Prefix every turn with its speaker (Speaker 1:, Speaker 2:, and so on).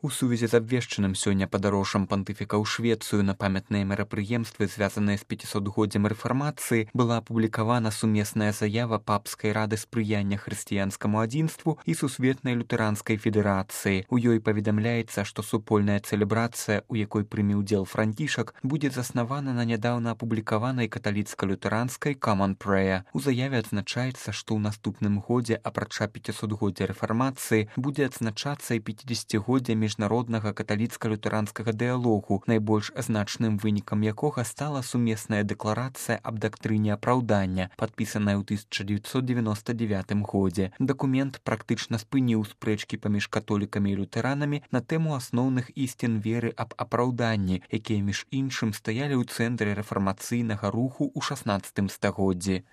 Speaker 1: У сувязі з абвешчаным сёння падарожжам пантыфіка ў Швецыю на памятныя мерапрыемствы, звязаныя з 500годдзям рэфармацыі, была апублікавана сумесная заява папскай рады спрыяння хрысціянскаму адзінству і сусветнай лютэранскай федэрацыі. У ёй паведамляецца, што супольная цэлебрацыя, у якой прыме ўдзел Францішак, будзе заснавана на нядаўна апублікаванай каталіцка-лютэранскай Common Prayer. У заяве адзначаецца, што ў наступным годзе, апрача 500годдзя рэфармацыі, будзе адзначацца і 50годдзя міжнароднага каталіцка-лютэранскага дыялогу, найбольш значным вынікам якога стала сумесная дэкларацыя аб дактрыне апраўдання, падпісаная ў 1999 годзе. Дакумент практычна спыніў спрэчкі паміж католікамі і лютэранамі на тэму асноўных ісцін веры аб апраўданні, якія між іншым стаялі ў цэнтры рэфармацыйнага руху ў 16 стагоддзі.